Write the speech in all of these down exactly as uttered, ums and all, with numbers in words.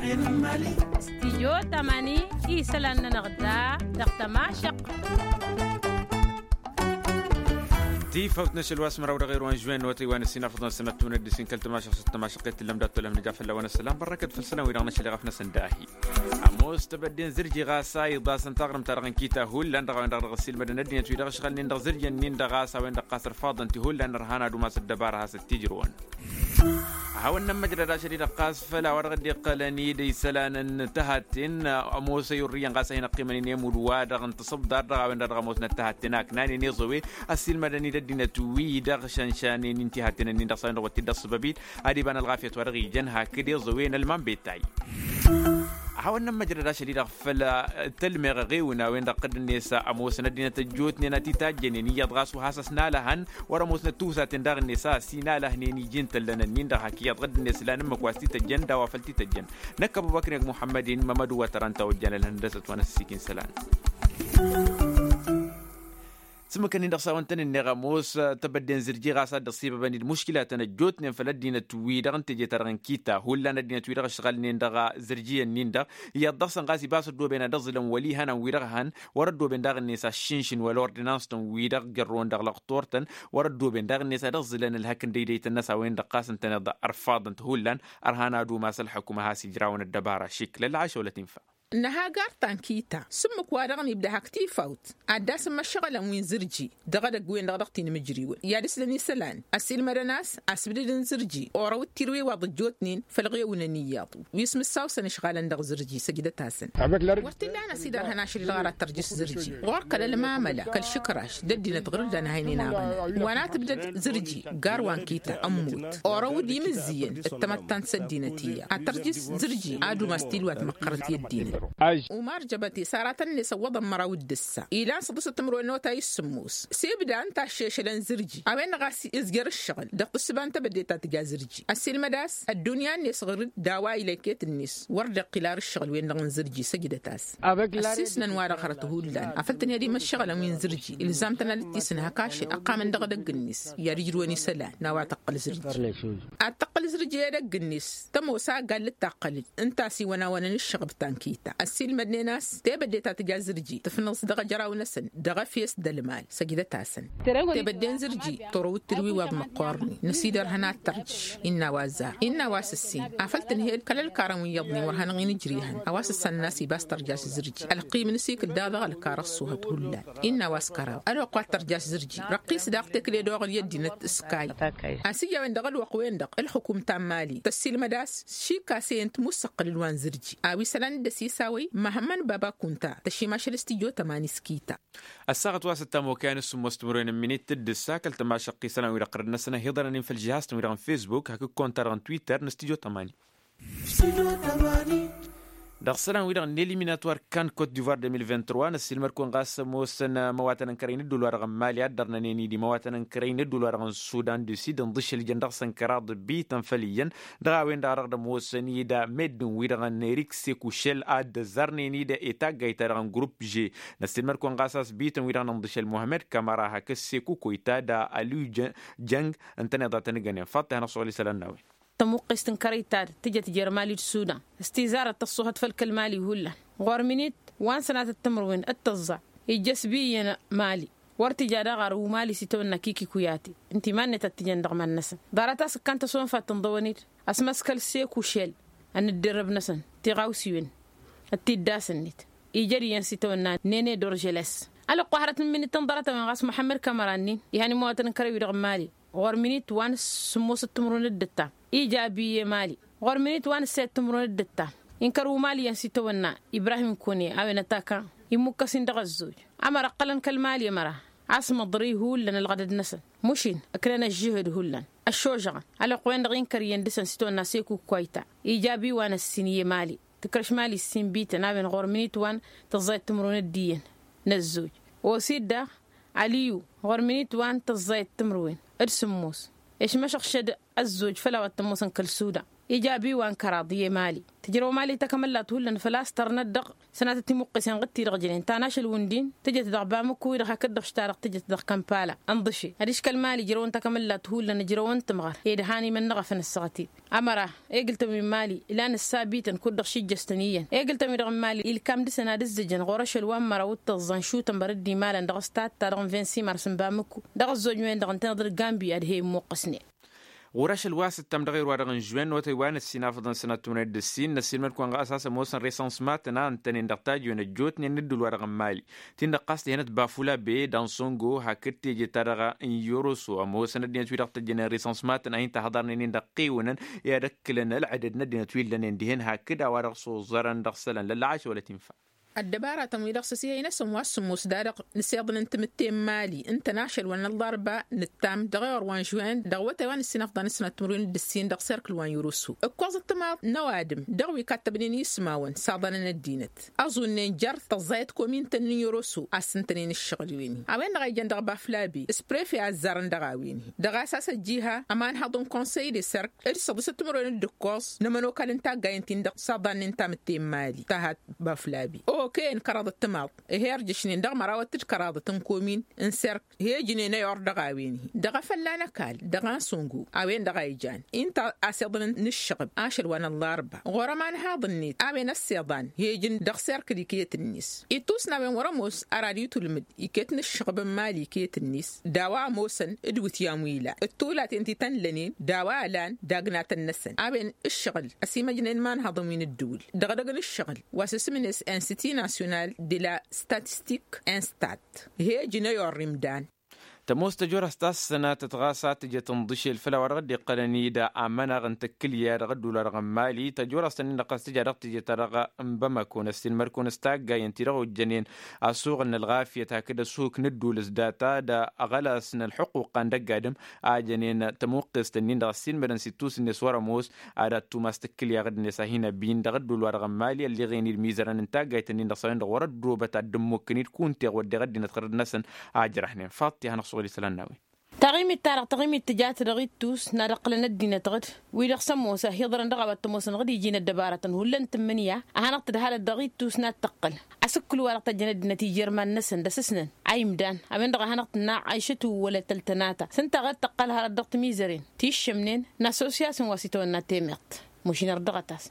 Stijyo tamani isălan-nănăɣ da dăɣ-tămašăq. Tifawt n-ašăl wa s-măraw dăɣ-erwan žwen n-otăy wa n-ăssin afăḍăn sănătun ăddisin kăl-tămašăq s-tămašăq i-tǝllăm dat-tolăm nǝja fălla-wen ăssălam bărrăkăt făll-sălan wi-dăɣ n-ašăl iɣăf-năsăn dahi. Ămoos tebădde n-zǝrji ɣas a iḍasăn taɣrǝmt-ta-dăɣ n-kita hullan dăɣ-a-wen-dăɣ dăɣ-ăssiilmădăn ăddinăt wi-dăɣ ǝšɣălnen dăɣ-zǝrjăn-in-dăɣ ɣas a-wen-dăɣ ɣas ărfaḍăn ti hullan ărhan ad-umas ăddăbara a has-ăttijrǝwăn. Ad-hawăn-nămmăjrăd ašăl-i-dăɣ ɣas făll-a-wa dăɣ-dd-iqqălăn-dd isălan n-tăhatten ămoos ăyurrǝyăn ɣas a hin-ăqqimăn-in i-imudd-wa-dăɣ n-tasǝbḍar dăɣ-a-wen-dăɣ dăɣ-ămoosnăt tăhatten a ǝknanen iẓăwe ăssiilmădăn-dd ăddinăt wi-dăɣ šănšanen intihatten-ǝnnin-dăɣ s-a-wen-dăɣ wăt t-dd-ăṣṣăbăb-dd ad-iba n-ălɣafyăt wa dăɣ-ijăn hakd iẓăwe n-ălman betay. Ad-hawăn-nămmăjrăd ašăl-i-dăɣ făll-tălmeɣ ăɣewǝn a-wen-dăɣ dd-net ămoosăn ăddinăt ăjjootnen a t-itajjănen iyyăḍ ɣas wa has-ăsnalăhăn wăr-ămoosnăt tiwsaten daɣ-net a ăsinalăhnen iji n-tăllăn-ǝnnin-dăɣ hak iyyăḍ dd-net lan ǝmmǝk wa s-t-ităjjăn d-a-wa făl t-ităjjăn. Năkk ăbubăkr-i ăgg muḥămmăd-in mămădu wa tăra ǝnta ojjan ălhăndăsăt wa n-ăssiikin isălan. S-ǝmmǝk-ǝnnin-dăɣ s-a-wăn tăn-ǝnneɣ ămoos tebădde n-zǝrji ɣas a dd-ăṣṣibăbăn-dd muškilatăn ăjjootnen făll-ăddinăt-wi-dăɣ n-teje-ta-dăɣ n-kita hullan ăddinăt-wi-dăɣ ǝšɣălnen dăɣ-zǝrji-ǝnnin-dăɣ iyyăḍ dăɣ-săn ɣas ibas ăddooben ad-ăẓẓǝlăn wăl' ihănan wi-dăɣ hăn wăr-ăddooben daɣ-net aššǝnšǝn wăla ordinans-tăn wi-dăɣ jărrăwăn dăɣ-lăqtor-tăn wăr-ăddooben daɣ-net ad-ăẓẓǝlăn ălhăk n-dăydăyt-tăn-năs a-wen-dăɣ ɣas ǝntăneḍ ărfaḍăn-t hullan ărhan ad-umas ălḥukǝm a has-ijrawăn ăddăbara šikl ălɣašăwălăt infa. Năha gar ta n-kita s-ǝmmǝk-wa-dăɣ n-ibda hak tifawt ad-dd-asǝmmăššăɣǝlăn wi n-zǝrji dăɣ-edăgg-wen-dăɣ dăɣ-tinǝmǝjriwăn i-ad-ǝslăn isălan ăssiilmădăn a-s asbǝdǝd n-zǝrji orăw d-tirǝwe wa ḍǝjjootnen făll-ɣewǝnăn iyyăḍ wi s-mǝssawsăn ǝšɣalăn dăɣ-zǝrji săjdăt-asăn. Wăr t-illa a năsidărhăn ašăl-i-dăɣ ar ad-tărjǝs zǝrji ɣur-kăl-ălmamăla kăl-išǝkraš d-ăddinăt ɣur-dd anhăynen aɣăna wa n-ad-tǝbdăd zǝrji gar wa n-kita ămmut orăw d-imǝzzǝyăn d-tamăttant s-ăddinăt iyyăḍ ad-tărjǝs zǝrji ad-umas tilwat măqqărăt i-ăddinăt. Umar jăbăte s-aratăn-net ăwwăḍăn măraw d-ǝssa ilan săḍǝsăt timǝrwen n-otay s-sǝmmos s-ibda ǝnta ăššešălăn zǝrji a-wen-dăɣ a-s izjăr ǝššăɣǝl dăɣ-tǝssǝba n-tebădde ta tǝja zǝrji ăssiilmăd a-s ăddunya-net ɣur-dd d-a-wa ila iket-net wăr dd-iqqǝl ar ǝššăɣǝl-wen-dăɣ n-zǝrji săjdăt-as. Ăssiisnăn-wa-dăɣ hărăt hullan afăl tǝnhăd imǝššăɣǝlăn wi n-zǝrji ilzam-tăn ad-dd-tisǝnhăk ašăl ăqqamăn dăɣ-edăgg-net i-ad-ǝjrǝwăn isălan n-a-wa tăqqăl zǝrji. Ad-tăqqǝl zǝrji i-edăgg-net tămoos a gall-dd-taqqălăd ǝnta a-s iwănawănăn ǝššăɣb ta n-kita ăssiilmădnen a-s tebădde ta tǝja zǝrji tǝfnăẓ dăɣ-ejăraw-năsăn dăɣ-efes d-ălmal. Săjdăt-asăn tebădde n-zǝrji turǝw d-tǝrwi wa d-măqqornen năsidărhăn ad-tărjǝš innă a-wa ăzzar innă a-wa s-ǝssin afăl tǝnhel kăl-ălkarăn wi iyyăḍnen wăr hanăɣ-in-ǝjrihăn a-wa s-ǝssanăn a-s ibas tărjaš zǝrji ălqim n-asikǝl daɣ dăɣ-ălkar ăṣṣuhăt hullan. Innă a-wa s-kăraḍ ălwăqq wa t-tărjaš zǝrji răqqis daɣ tekle d-oɣǝl i-ăddinăt s-kayy a-s ija a-wen-dăɣ ălwăqq-wen-dăɣ ǝlxǝkum ta n-mali tăssiilmăd a-s šikk'-as i-ǝnta musăqqǝlăn wa n-zǝrji a-wa isălan dd-ăsisawăy măhămmăn baba kunta tăšim ašăl s-tijjo tămani s-kita. Ăssaɣăt wa s-ăttamokăyan s-sǝmmos timǝrwen n-minit d-ǝssa kăl-tămašăqqisălan wi-dăɣ qărăd-năsăn ad-hi-iḍărăn-in făll-žihaz-tăn wi-dăɣ n-fesbuk hakd konta-dăɣ n-twitter n-studio tămani. Dăɣ-isălan-wi-dăɣ n-eliminatwar kan kot divoir deux mille vingt-trois năssiilmăd-kăwăn ɣas ămoosăn imăwatăn n-kărăy n-ădduul-wa-dăɣ n-mali ad-dărnănen-dd imăwatăn n-kărăy n-ădduul-wa-dăɣ n-sudan du sid ǝnḍǝšăl ijăn dăɣ-săn kăraḍ bităn făll-iyyăn dăɣ-a-wen-dăɣ a dăɣ-dd-ămoosăn-dd meddǝn wi-dăɣ n-erik sekušel ad-ăzzarnen-dd i-taggayt-ta-dăɣ n-grup ž. Năssiilmăd-kăwăn ɣas a-s bităn wi-dăɣ n-ǝnḍǝšăl muhămmăd kamăra hakd sekukoyta d-aliw jăng ǝntăneḍ a tăn-ǝggănen faḍt-i hanăɣ-suɣǝl isălan n-a-wen. Tămuqqest n-kărăy-ta-dăɣ tǝjăt jer-mali d-sudan s-tizarăt tăṣṣuhăt făll-kăl-mali hullan ɣur-minit wa n-sănatăt timǝrwen d-tăẓẓa ijjăs bi iyyăn mali wăr tǝja daɣ ar umali s-itawănna kiki kuyate ǝnta iman-net ad-t-ijăn dăɣ-iman-năsăn ḍarăt a-s ǝkkan tăsonfat tǝnḍăwăn-dd ăsmăskăl sekušel ănǝddărrăb-năsăn tiɣawsiwen d-tiddas-net ijăd iyyăn s-itawănna nene dorjăles. Ălwăqq wa hărăt n-iminităn ḍarăt-a-wen ɣas muḥămmăd kamăra-nin ihăn imăwatăn n-kărăy-wi-dăɣ n-mali ɣur-minit wa n-sǝmmosăt timǝrwen d-ǝttam ija abiye mali ɣur-minit wa n-ǝssayăt timǝrwen d-ǝttam inkăr umali iyyăn s-itawănna ibrahim kone a-wen ătaka immukkăs-in dăɣ-ăzzoj ămăra ǝqqălăn kăl-mali ămăra a-s măḍri hullan ălɣădăd-năsăn mušin ǝknăn ăžžǝhǝd hullan ăššožăɣăn ălwăqq-wen-dăɣ inkăr iyyăn dăɣ-săn s-itawănna seku kwayta ija abi wa n-ăssin i-mali tǝkrăš mali ǝssin bităn a-wen ɣur-minit wa n-tăẓẓayăt timǝrwen d-iyyăn n-ăzzoj osid daɣ aliyu ɣur-minit wa n-tăẓẓayăt timǝrwen d-sǝmmos išmăšăɣšăd ăzzoj făll-a-wa t-ămoosăn kăl-sudan Ija abi wa n-kăraḍ i-emali tǝjrăw emali takămăllat hullan făl-a-s tărnăt dăɣ-sănatăt timuqqesen ɣǝd-ti-dăɣ jănen ta n-ašăl wǝndin tǝjăt dăɣ-bamǝkku-i-dăɣ hakd-dăɣ š-ta-dăɣ tǝjăt dăɣ-kămpala ǝnḍǝše adiš kăl-mali ǝjrăwăn takămăllat hullan ǝjrăwăn tǝmɣăr ed han imănnăɣ a făn ǝssăɣăt-dd. Ămăra egǝl-tăn wi n-mali ilan ǝssabităn kud-dăɣ šijjăstăn iyyăn egǝl-tăn wi-dăɣ n-mali ilkam dăɣ-săn ad-ǝzzǝjăn ɣur-ašăl wa n-măraw d-tăẓẓa n-šutăn bărăd d-imalăn dăɣ-s tatta dăɣ-n vinsimar s-n bamǝkku dăɣ-ăzzoj-wen-dăɣ ǝntăneḍ d-gambi ad-he-immuqqǝsnen. Ɣur-ašăl wa s-ǝttam dăɣ-erwa-dăɣ n-žuwen n-awătay wa n-ăssinafăḍăn sănat timǝrwen d-ǝssin năssiilmăd-kăwăn ɣas a-s ămoosăn resănsmatăn a ǝntănen dăɣ-tajwen ăjjootnen n-ăddul-wa-dăɣ n-mali ti n-dăɣ ɣas tihănăt bafula be d-ansongo hakd teje-ta-dăɣ n-yoroso ămoosăn ăddinăt wi-dăɣ tăjjănen resănsmatăn a hin-tahăḍarnen-in dăɣ-qiwǝnăn i-ad-ǝkkǝlăn ălɣădăd n-ăddinăt wi ǝllănen dihen hakd a-wa dăɣ-s oẓărăn dăɣ-isălan lălla ašăwălăt infa. Ăddăbaratăn-wi-dăɣ s-ăsihăy-năsăn wa s-sǝmmos da-dăɣ n-asiḍăn n-timǝtte n-mali ǝntăn ašăl wa n-ăllarba nǝttam dăɣ-ewăr wa n-žuwen dăɣ-awătay wa n-ǝssinăfḍa n-ǝsnat timǝrwen d-ǝssin dăɣ-serkǝl wa n-yoroso ǝkkoẓ ǝttǝmaḍ n-ăwadǝm dăɣ-wi kattăbnen ismawăn s-aḍănăn ăddinăt ăẓunnen jer-tăẓẓayăt komintăn n-yoroso a-s ǝntănen ǝššăɣǝl-wen-hi a-wen-dăɣ a ijăn dăɣ-baflabe s-prefe a ǝzzarăn dăɣ-a-wen-hi dăɣ-a-s a-s ăjjiha ămanhăḍ n-konsăy de serk d-săḍisăt timǝrwen d-ǝkkoẓ n-ămănokal n-taggayen-tin-dăɣ s-aḍannen tamǝtte n-imali tahat baflabe okăyăn kăraḍăt timaḍ. Ih'-e ărjǝšnen dăɣ-mărawăt d-kăraḍăt n-komin n-serk he-ǝjnen ăyor dăɣ-a-wen-hi dăɣ-afălla n-ăkall dăɣ-ansongo a-wen-dăɣ a ijan inta asiḍăn n-ǝššăɣăb ašăl wa n-ăllarba ɣur-ămanhaḍ-net a-wen ăssiḍan he-ǝjǝn dăɣ-serk d-iket-net ittus n-a-wen wăr-ămoos arad itulmǝd iket n-ǝššăɣăb n-imali iket-net d-a-wa ămoosăn d-iwǝtyan wi ilan d-tulaten ti tăn-lănen d-a-wa ălan dagnatăn-năsăn a-wen ǝššăɣǝl ăsimăjnen imanhăḍăn wi n-ǝddǝwǝl dăɣ-edăgg n-ǝššăɣǝl wa s-isǝm-net institut national de la statistique instat he-ǝjǝn ăyorr imdan. Tămoos tăjorăst ta s-sănatăt ɣas a tǝjăt ǝnḍǝšel făll-a-wa dăɣ-dd-iqqălăn-dd amănăɣ n-tǝkkǝlya dăɣ-ăddul-wa-dăɣ n-mali tăjorăst-ǝnnin-dăɣ ɣas tǝja dăɣ-tǝjăt-ta-dăɣ n-bamako n-ăssiilmăd-kăwăn s-taggayen-ti-dăɣ ojjănen asuɣǝl n-ălɣafyăt hakd ăsuhǝk n-ăddul s-data d-aɣălas n-ălxuqquqa n-dăgg-adǝm a jănen tămuqqest-ǝnnin-dăɣ ăssiilmădăn s-ittus-net wăr-ămoos ad-ad-tumas tǝkkǝlya ɣǝd-net a hin-ăbin dăɣ-ăddul-wa-dăɣ n-mali ălliɣen-dd imizărăn n-taggayt-ǝnnin-dăɣ s-a-wen-dăɣ wăr-ăddoobăt ad-dd-ǝmmukǝn-dd kunta iɣwăddeɣ ăddinăt ɣărăd-năsăn a ǝjrăhnen faḍt-i a hanăɣ-suɣǝl isălan n-a-wen. Taɣimit-ta-dăɣ taɣimit tǝja-t dăɣ-ittus n-ad-ǝqqǝlăn ăddinăt ɣǝd wi-dăɣ s-ămoos a hi-iḍrăn dăɣ-a-wa t-ămoosăn ɣǝd iji n-ăddăbarătăn hullan tǝmmǝnǝya a hanăɣ-tǝdhalăt dăɣ-ittus n-ad-tǝqqǝl asǝkkǝl-wa-dăɣ tăjjăn ăddinăt ijărman-năsăn d-asǝsnăn a imdan a-wen-dăɣ a hanăɣ-tǝnna ăyšăt u-wăla tăltănata s-ǝnta a ɣad tăqqăl hărăt dăɣ-timizăren ti ǝššămnen n-assosyasyon wa s-itawănna temeḍt. Mušin ărdăɣăt-as.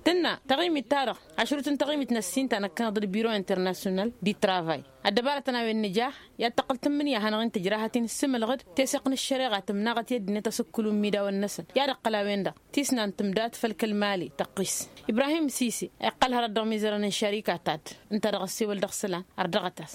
Tǝnna taɣimit-ta-dăɣ ašrut n-taɣimit n-ăssin ta năkkăneḍ d-biro internasyonal di travay ăddăbarătăn a-wen nǝja i-ad-tăqqǝl tǝmmǝnǝya a hanăɣ-in-tǝjrahăt-in s-imǝlɣǝd teseɣt n-ăššăreɣa tǝmnaɣăt i-ăddinăt asǝkkǝlu n-imidawăn-năsăn i-ad-ǝqqǝl a-wen-dăɣ tisnant tǝmdat făll-kăl-mali tăqqis. Ibrahim sise iqqăl hărăt dăɣ-imizărăn n-šărika ta-dd ǝnta dăɣ-ăssewăl dăɣ-isălan ărdăɣăt-as.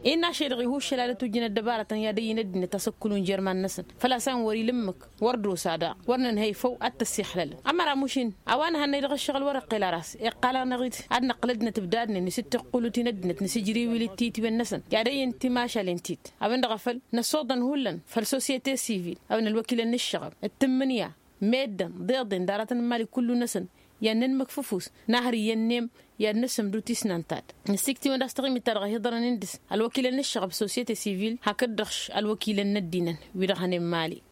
Innă ašăl-dăɣ ihuššăl ad-ătwǝjjǝn ăddăbarătăn i-ad-ăyyǝn ăddinăt asǝkkǝlu n-jărman-năsăn făl-a-s a-wen wăr-ila ǝmmǝk wăr dd-osa daɣ wăr nǝnhăy făw ad-t-ăssixlălăn ămăra mušin a-wa nǝhănnăy dăɣ-ǝššăɣǝl wăr-iqqel ara a-s iqqal-anăɣ-dd ad-năqqǝl ăddinăt ǝbdadnen isǝttiqqǝlu-t-in ăddinăt nǝsǝjriwǝl d-titwen-năsăn i-ad-ăyyǝn timašalen-ti-t a-wen-dăɣ a făl năsoḍăn hullan făll-sosyete sivil a-wen ălwăkilăn n-ǝššăɣăb d-tǝmmǝnǝya meddǝn d-iḍen d-aratăn n-imali kullu-năsăn i-ad-nǝnmǝk f-ǝfus n-ahăr iyyăn n-em i-ad-nǝsǝmdǝw tisnant-ta-dd. Nǝssiktiwăn d-a-s taɣimit-ta-dăɣ a hi-iḍărăn d-s ălwăkilăn n-ǝššăɣăb sosyete sivil hakd-dăɣ ălwăkilăn n-ăddinăn wi-dăɣ hănen mali.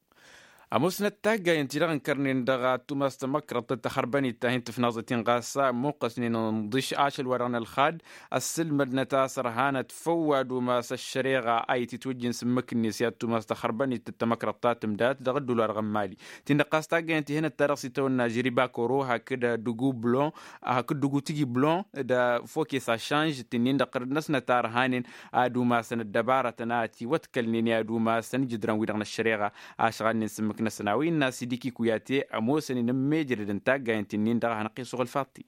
Ămoosnăt taggayen-ti-dăɣ ǝnkărnen dăɣ-ad-tumas tamăkrăḍt d-taxărbănit ta hin-tǝfnaẓăt-in ɣas ămmuqqăsnen ǝnḍǝš ašăl-wa-dăɣ n-ălxad ăssǝlmădnăt a-s ărhanăt făw ad-umas ăššăreɣa a ititwǝjjǝn s-ǝmmǝk-net i-ad-tumas taxărbănit d-tamăkrăḍt ta tǝmdat dăɣ-ăddul-wa-dăɣ n-mali. Ti n-dăɣ-ɣas taggayen-ti hănăt ta dăɣ-s itawănna žriba koro hakd dugu blon hakd dugu tigi blon d-fokes ašanž ti n-in-dăɣ ɣărăd-năsnăt a ărhanen ad-umasăn ăddăbarătăn a ătiwătkălnen i-ad-umasăn ǝjǝdrăn-wi-dăɣ n-ăššăreɣa ašɣalnen s-ǝmmǝk-năsăn a-wa innă asǝdiki kuyate ămoosăn-in ǝmmejrădăn taggayen ti n-in-dăɣ a hanăɣ-t-isuɣǝl faḍti.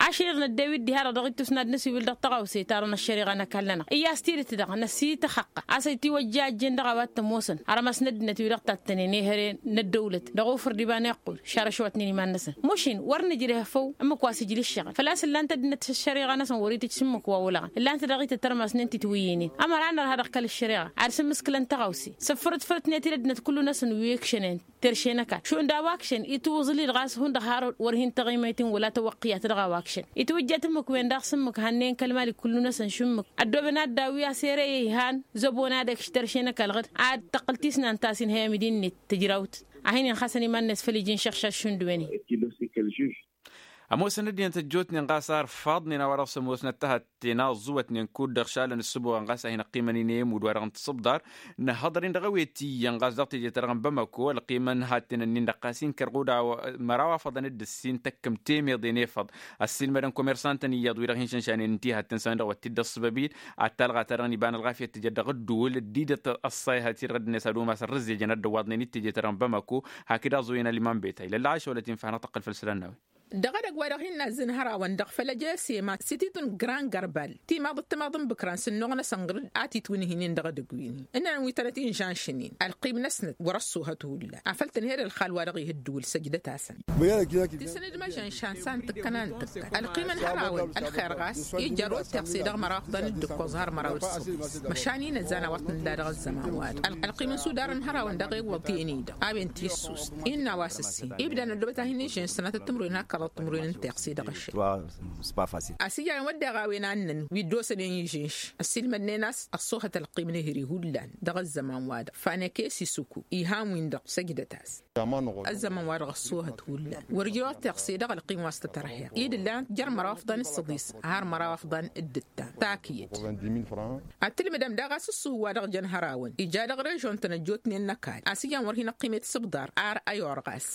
Ašăl-iḍ năddew-dd diha-dăɣ dăɣ-ittus n-ad-nǝsiwǝl dăɣ-tăɣawse ta dăɣ-năššăreɣa n-ăkall-nănăɣ iyyas tidǝt-dăɣ năsiităxăqqa a-s ăytiwăjja ăjjeen dăɣ-a-wa t-ămoosăn arămas n-ăddinăt wi-dăɣ tattănen ehăre n-ăddăwlăt dăɣ-ofǝr d-iba n-iqqul šarăšwatnen iman-năsăn. Mušin wăr nǝjreh făw ǝmmǝk wa s-ijla ǝššăɣǝl făl-a-s ǝllan-t ăddinăt ăššăreɣa-năsăn wăr-itǝjj s-ǝmmǝk wa olăɣăn ǝllan-t dăɣ-itǝt ărmasnen titwǝyyǝynen ămăra a nărha dăɣ-kăl-ăššăreɣa ad-sǝmmǝskǝlăn tăɣawse. Sǝffărăt fărătnet i-dd-ăddinăt kullu-năsăn wi ǝkšănen terše n-ăkall šund a-wa ǝkšăn itwǝẓǝl-dd ɣas hundăɣ har wăr hin-tăɣimăy. Itin wăla tăwăqqiyat dăɣ-a-wa ǝkšăn itwǝjjet ǝmmǝk-wen-dăɣ s-ǝmmǝk hannăyăn kăl-mali kullu-năsăn šǝmmǝk ăddoobăn ad-dd-awǝy a-s ere i-ihan zăbo n-ad-ăkš tărše n-ăkall ɣǝd ad-tăqqǝl tisnant ta s-inhăy amidi-net tǝjrawt a hin-inxasăn iman-net făll-iji n-išăɣšaš šund wen-in. Ămoosăn ăddinăt ăjjootnen ɣas a ărfaḍnen a-wa dăɣ-s ămoosnăt tăhătten aẓẓuwătnen kud-dăɣ šalăn ǝssǝboɣăn ɣas a hin-ăqqimăn-in i-emud wa-dăɣ n-tiṣǝbḍar. Nǝhhăḍăr-in dăɣ-ewet iyyăn ɣas dăɣ-teje-ta-dăɣ n-bamako ălqimăn hatten-ǝnnin-dăɣ ɣas inkăr ɣud a-wa măraw a făḍăn d-ǝssin tăkkăm temeḍe n-efăḍ. Ăssiilmădăn komersantăn iyyăḍ wi-dăɣ hin-šănšanen ǝnta i-hatten s-a-wen-dăɣ wa t-dd-ăṣṣăbăb-in ad-talɣa-ta-dăɣ n-iba n-ălɣafyăt tǝjăt dăɣ-ǝddǝwǝl dd-idăt ăṣṣayhat-i-dăɣ dd-net ad-umas ărrǝzzejăn ad-dd-ăwwaḍnen i-teje-ta-dăɣ n-bamako. Hakd aẓuyăn ăliman beta ilălla ašăwălăt-in făhănăɣ tăqqăl făll-isălan n-a-wen. Dăɣ-edăgg wa dăɣ-hin-nazzǝn hărawăn dăɣ-făll-ăjesema s-ititun grand gărbal timaḍăt timaḍ n-bǝkran s-ǝnnuɣ-năsăn ɣǝr-dd a titwǝnhǝynen dăɣ-edăgg wi-ni ǝnnăn wi tănăt-inžănšnen ălqim-năsnăt wăr-ăṣṣuhăt hullan afăl tǝnhed ălxal wa dăɣ-ih ǝddǝwǝl săjdăt-asăn. Tisǝnǝd măžănšan s-a n-tǝkkăna n-tǝkkăn ălqim n-hărawăn ălxer ɣas ija ăroteɣ s-i-dăɣ măraw afḍăn d-ǝkkoẓ har măraw d-săḍis măšan inăzzan a-wa t-nǝlla dăɣ-ăzzăman-wa-dăɣ ălqim n-sudar n-hărawăn dăɣ-iwwăḍ teni-dăɣ a-wen tissust innă a-wa s-ǝssin ibda n-ăddoobăt a hin-ižănš sănatăt timruwen hakkaḍăt timruwen n-teɣse dăɣ-ăššăl. A-s ija a-wen wădden a-wen a ǝnnăn wi dd-osănen ižănš ăssiilmădnen a-s ăṣṣoohăt ălqim n-ehri hullan dăɣ-ăzzăman-wa-dăɣ faneke s-isuku ihan-win-dăɣ săjdăt-as. Ăzzăman-wa-dăɣ ăṣṣoohăt hullan wăr-ija oteɣse dăɣ-ălqim wa s-tătărheɣ i-dd-ǝllan jer-măraw afḍan d-săḍis har măraw afḍan d-ǝttan takǝyăt. Ad-tǝlmǝdăm daɣ a-s ǝṣṣuhu wa dăɣ-jăn hărawăn ija dăɣ-režon-tăn ăjjootnen n-ăkall a-s ijan wăr hin-ăqqim i-tisǝbḍar ar ăyor ɣas.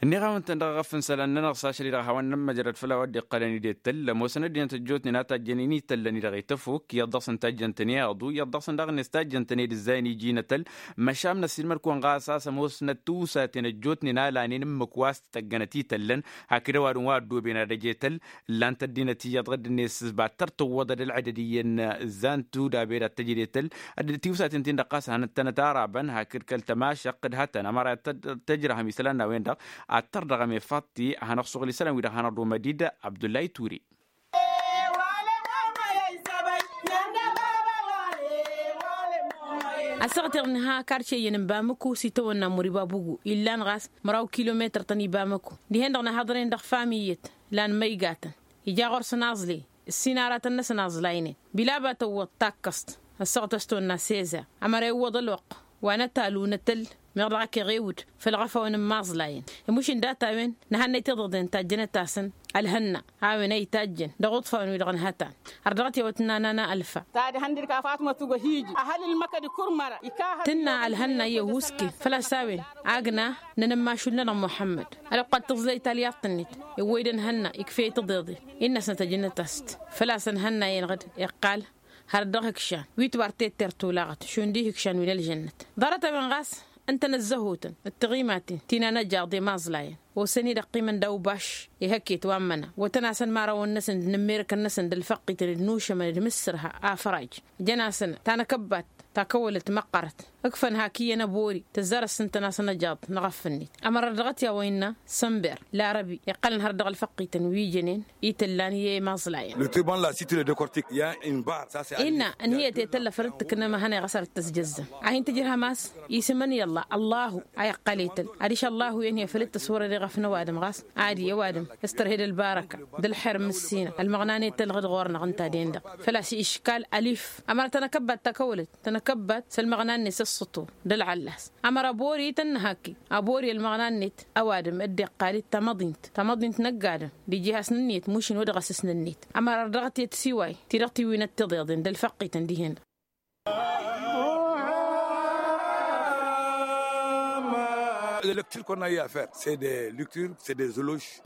Ǝnniɣ-awăn-tăn dăɣ-eɣăf n-isălan-nănăɣ s-ašăl-i-dăɣ a hawăn-nămmăjrăd făll-a-wa dd-iqqălăn i-dd-ettăl ămoosăn ăddinăt ăjjootnen a tajjănen i-tăllăn-i-dăɣ i-tăfuk iyyăḍ dăɣ-săn tajjăn-tăn i-aḍu iyyăḍ dăɣ-săn daɣ-net tajjăn-tăn i-dd-ǝzzayăn iji n-atăl. Măšan n-ăssiilmăd-kăwăn ɣas a-s ămoosnăt tiwsaten ăjjootnen a lanen ǝmmǝk wa s-tăggănăt i-tăllăn hakd ăwadǝm wa ăddooben ad-ăj i-tăll. Ǝllan-t ăddinăt iyyăḍ ɣǝdd-net s-battăr tǝwwăḍăd ălɣădăd iyyăn ǝzzan tudabe dat-tăjăd i-tăll. Tiwsaten-tin-dăɣ ɣas hanăt-tănăt arabăn hakd kăl-tămašăqq d-hătăn ămăra tăjrăhăm isălan n-a-wen-dăɣ ad-tărdăɣăm i-faḍti a hanăɣ-suɣǝl isălan-wi-dăɣ hanăɣ-dd-omăd-dd abdullay ture. Ăssaɣăt-i-dăɣ nǝha karce iyyăn n-bamăku s-itawănna mur ibabugu illan ɣas măraw kilometăr-tăn i-bamăku dihen-dăɣ nǝhhăḍăren dăɣ-famiyyăt lan măygatăn ija ɣur-săn aẓley ǝssin aratăn-năsăn aẓlaynen bila a ba tăwwăḍ takkăẓt ăssaɣăt a-s tonna seza ămăra iwwăḍ ălwăqq wa n-ătalu n-atăl meɣ dăɣ-ak iɣewǝd făll-iɣăfawăn n-imaẓlayăn. Imušǝn data-wen nǝhannăy tiḍeḍen tajjănăt-asăn ălhănna a-wen a itajjăn dăɣ-uḍfawăn-wi-dăɣ nǝhătan har dăɣ-t i-a-wa t-nana n-alfa. Tadhăn dăr-ka fatmăt ugăhij ăhăl ǝlmăkăd kurmăra. Tǝnna ălhănna i-ăhuusken făl-a-s a-wen agna n-enămmašul-nănăɣ muḥămmăd. Ălwăqq ad-tǝẓlăy talyaḍt-net iwwăy-dd ănhănna ikf'-e i-tiḍeḍen innă-snăt ăjǝnnăt-as-t. Făl-a-s ănhănna-en ɣǝd iqqal har dăɣ-ihǝkšan wi tibar tetter tulaɣăt šund ihǝkšan wi n-ălžănnăt. Ḍarăt-a-wen ɣas ǝntănăt zăhotăn d-tiɣimaten ti n-anăjaḍ i-imaẓlayăn osăn-dd ăqqimăn d-awbaš ihăkket wa n-măna wătăn-asăn imărawăn-năsăn d-inǝmmerǝkăn-năsăn d-ălfăqqităn d-inušămăn d-imǝssărha afăraj. Jăn-asăn tanăkăbbat takăwălăt măqqărăt ǝkfăn hak iyyăn ăbori tǝzzar ăssintăn-asăn ăjaḍ n-aɣăff-net. Ămăra dăɣ-t i-a-wa innă sănber larăbi iqqălăn har dăɣ-ălfăqqităn wi jănen itǝllan i-imaẓlayăn. Innă ǝnniyăt i-tălla făll-dd-tǝknăm a hanăy ɣas ar dd-tăzjăzzăm a hin-tǝjrăhăm a-s isǝmăn i-ăllah ăllahu a iqqăl i-tăl adiš ăllahu i-ănhăy făll-dd-tăswărăd iɣăf n-ăwadǝm ɣas ad-i ăwadǝm s-tărhed ălbarăka d-ălxer n-ǝssinăɣ ălmăɣna n-i-tăll ɣǝd ɣur-năɣ ǝnta-den-dăɣ. Făl-a-s iškal ălif ămăra tănăkăbbat takăwălăt tănăkăbbat s-ălmăɣna-net s-ăṣṣătu d-ălɣăllas. Ămăra bori tăn-nǝhakki ăbori ălmăɣna-net ăwadǝm dd-iqqal-dd tamăḍint tamăḍint n-ăgg-adǝm d-iji hasnăn-net mušǝn wăr dăɣ-asǝsnăn-net. Ămăra ărdăɣăt i-tisiway ti-dăɣ tiwinăt tiḍeḍen d-ălfăqqităn dihen-dăɣ.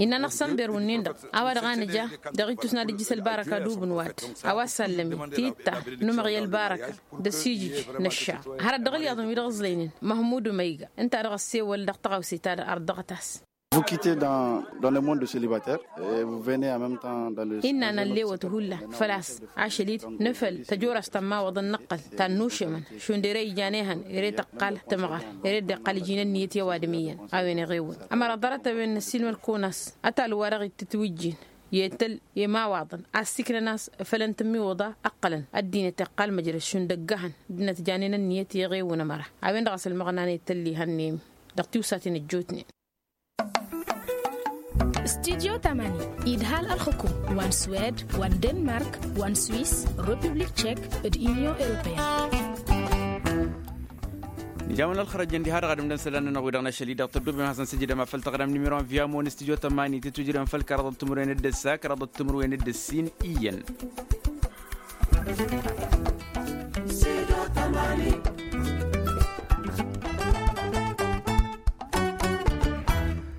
Innă-năɣ sănber wǝnnin-dăɣ a-wa dăɣ-a nǝja dăɣ-itus n-ad-ǝjjǝs ălbarăka d-ubǝnwad a-wa s-allămen titta număɣ i-ălbarăka d-ăsijǝj n-ăššaɣ. Hărăt dăɣ-ǝlyaḍăn wi-dăɣ ǝẓlăynen măhmud umăyga ǝnta a dăɣ-ăssewăl dăɣ-tăɣawse-ta-dăɣ ărdăɣăt-as. Vous quittez dans le monde de célibataire et vous venez en même temps dans le. Innă a năllewăt hullan făl-a-s ašăl-dd nǝfăl tăjorăst ta n-imawăḍăn nǝqqăl ta n-inušămăn šund ere ijan ehăn ere tăqqal tămɣăr ere dd-iqqal iji n-ǝnniyăt i-ăwadǝm iyyăn a-wen iɣewwăn. Ămăra ḍarăt-a-wen năssiilmăd-kăwăn a-s ătalu wa dăɣ-itǝtwǝjjin i-tăl i-imawaḍăn a ăssiiklăn a-s făll-ǝntǝmmiwǝḍa ǝqqălăn ăddinăt iqqal măjrăd šund ăgg-ehăn ăddinăt janen ǝnniyăt i-iɣewwăn ămăra a-wen-dăɣ a-s ălmăɣna n-i tăll-ihăn n-emmi dăɣ-tiwsaten ăjjootnen. Studyo tamani idhal ălxukum wa n-swed wa n-denmark wa n-swis, republik tšek, d-inyon europeyăn. Nǝjawăn ălxărăjăn diha-dăɣ ad-ǝmdăn isălan-nănăɣ wi-dăɣ n-ašăl-i-dăɣ tădduben ad-hasăn-sǝjdăm afăl taɣrăm n-imǝrwen via mon studyo tamani tǝtwǝjrăm făll-kăraḍăt timǝrwen d-ǝssa kăraḍăt timǝrwen d-ǝssin iyyăn.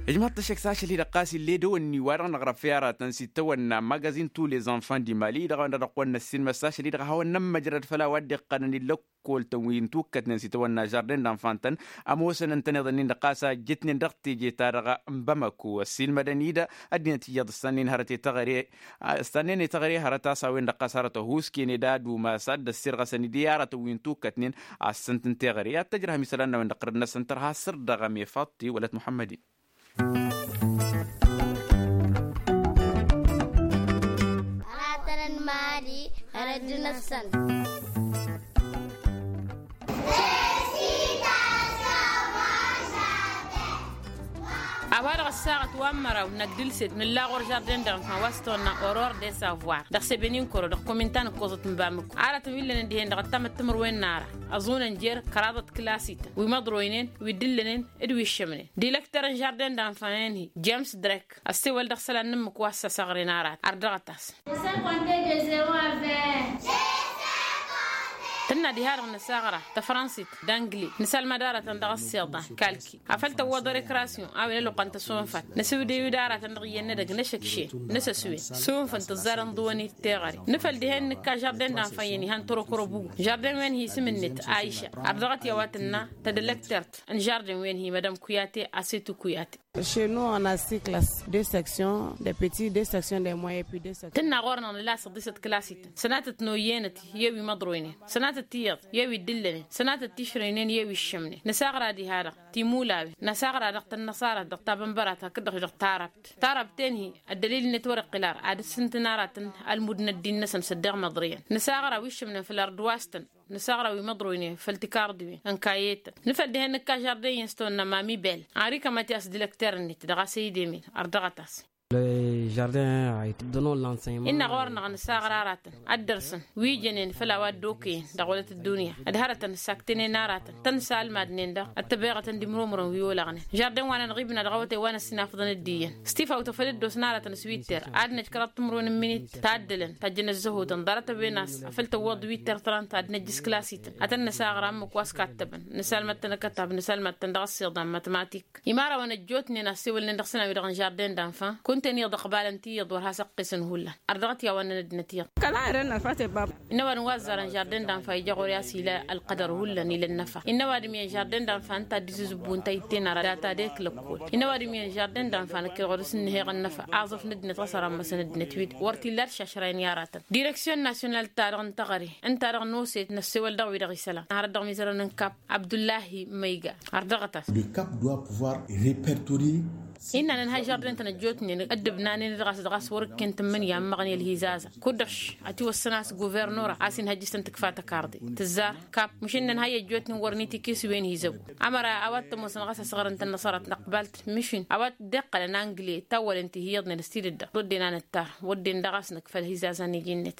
Ijmaḍ-t ăššăk s-ašăl-i-dăɣ ɣas ill'-e dăwănni wa-dăɣ năɣrăf i-aratăn s-itawănna magazin tous les enfants du mali-dăɣ a-wen-dăɣ dăɣ-kăwăn-năssinmăs s-ašăl-i-dăɣ a hawăn-nămmăjrăd făll-a-wa dd-iqqănăn i-lăkkol-tăn wi n-tukkătnen s-itawănna žardin d-enfants-tăn. Ămoosăn ǝntăneḍ-ǝnnin-dăɣ ɣas a ǝjjǝtnen dăɣ-teje-ta-dăɣ n-bamăko ăssiilmădăn-i-dd ăddinăt iyyăḍ ǝssannen hărăt i-taɣre. Ǝssannen i-taɣre hărăt a-s a-wen-dăɣ ɣas hărăt ăhuusken ed ad-umas ad-dd-ăssirɣăsăn-dd i-aratăn wi n-tukkătnen. Assăn-t n-teɣăre ad-tăjrăhăm isălan n-a-wen-dăɣ tărăd-năsăn tărha săr-dăɣ ămefăḍ-t i-wălăt muḥămmăd-in. Ratăn n-mali. Ărădd-năsăn. A-wa-dăɣ ăssaɣăt wa n-măraw n-agdǝlset nǝlla ɣur-žardin d-enfants wa s-tăwănna oror de savoir dăɣ-sebenin koro dăɣ-kominta n-ǝkkoẓăt n-bamǝko aratăn wi ǝllănen dihen dăɣ-ăttamăt timǝrwen n-ara. Ăẓunăn jer-kăraḍăt klasităn wi măḍroynen wi dd-ǝllănen d-wi ǝššămnen. Dilăkter n-žardin d-enfants-en-hi james drek ăssewăl dăɣ-isălan n-ǝmmǝk wa s-săɣren arat ardăɣăt-as. Tǝnna diha-dăɣ nǝsaɣra tăfrănsit d-angli nǝsalmăd aratăn dăɣ-ăssiḍan kalki afăl tăwwăḍ rekrasyon a-wen ăluqqăn tăsonfat. Nǝsǝwdǝy-wi d-aratăn dăɣ-iyyăn n-edăgg n-ešăkšen nǝsăswen. Sunfăn tǝzzarăn ḍuwăn-i d-teɣăre. Nǝfăl dihen nǝkka žardin d-enfants-en-hi han tărokărăbugu žardin-wen-hi isǝm-net aiša. Ardăɣăt i-a-wa tǝnna tădălăktert n-žardin-wen-hi madam kuyate asetu kuyate. Šenu ăna siklas de seksyon de peti de seksyon de moyen pi de seksyon. Tǝnna ɣur-năɣ nǝla săḍisăt klasităn sănatăt n-oyyenăt i-wi măḍroynen sănatăt tiyyăḍ i-wi dd-ǝllănen sănatăt tišrăynen i-wi ǝššămnen nǝsaɣra diha-dăɣ timulawen năsaɣra dăɣ-tănnăṣarăt dăɣ-tabănbărat hakd-dăɣ dăɣ-tarăbt. Tarăbt-en-hi ăddălil-net wăr-iqqǝl ara ad-ǝssǝntǝn aratăn ălmud n-ăddin-năsăn s-ăddeɣ măḍriyăn nǝsaɣra wi ǝššămnen făll-ărduwastăn. Nǝsaɣra wi măḍroynen făll-tikarḍiwen ănkayetăn nǝfăl dihen nǝkka žardin-en s-tăwănna mami bel. Arikămăt i-a-s dilăkter-net dăɣ-a s-e-idemel ărdăɣăt-as. Innă ɣur-năɣ nǝsaɣra aratăn ad-dăr-săn wi jănen făll-a-wa dd-okăyăn dăɣ-wălăt ăddunya d-hărătăn ǝssaktănen aratăn tăn-salmadnen-dăɣ ăttăbeɣătăn d-imrumrăn wi olăɣnen žardin wa n-anăɣ-ibna dăɣ-awătay wa n-ăssinafăḍăn d-iyyăn. S-tifawt a făl dd-osna aratăn s-witter ad-năj kăraḍ timrun n-minit taddălăn tajjăn ăzzăhutăn ḍarăt a-wen a-s a făl tăwwăḍ witter tărant ad-năj s-klasităn ad-tăn-năsaɣra ǝmmǝk wa s-kattăbăn. Nǝsalmăd-tăn akătab nǝsalmăd-tăn dăɣ-ăssiḍan matmatik. Imărawăn ăjjootnen a ăssewălnen dăɣ-săn a-wi-dăɣ n-žardin d-enfants kunta-en iyyăḍ ăqbalăn tiyyăḍ wăr has-ăqqesăn hullan. Ărdăɣăt i-a-wa ǝnnăn ăddinăt iyyăḍ. Innă ăwadǝm wa ăzzarăn žardin d-enfants ija ɣur-i a-s ila ălqădăr hullan ila ănnăfa. Innă ăwadǝm iyyăn žardin d-enfants ǝnta a dd-izǝzǝbbu ǝnta a itten ara data dek lăkkol. Innă ăwadǝm iyyăn žardin d-enfants năkk-dd ɣur-dăɣ s-ǝnnăheɣ ănnăfa aẓuf n-ăddinăt ɣas ărammăsăn ăddinăt wi-dăɣ wăr t-illa ad-šašrayăn i-aratăn. Direksyon nasyonal-ta-dăɣ n-teɣăre ǝnta-dăɣ n-oset n-ăssewăl dăɣ-wi-dăɣ isălan hărăt dăɣ-mizărăn n-kap abdullahi măyga. Ărdăɣăt-as. Le cap doit pouvoir repertorier. Innă nǝnha žardin-tăn ăjjootnen ăddǝbnanen-dd ɣas dăɣ-a-s wăr-ǝkken tǝmmǝnǝya ămmăɣnen ălhizazăn. Kud-dăɣ š-ătiwăssăn a-s guvernora a-s inhăjjǝs-tăn tǝkfa tăkarḍe tǝzzar kap măšan nǝnha i-ăjjootnen wăren itikes wen hizăbu. Ămăra a-wa t-ămoosăn ɣas asăɣrăn-tăn năṣarăt năqbal-t măšin a-wa t-dd-iqqălăn angli tawwălen ti hi-iyyăḍnen s-tidǝdda wădden a nǝttar wădden daɣ a-s nǝkfăl hizazăn iji-net.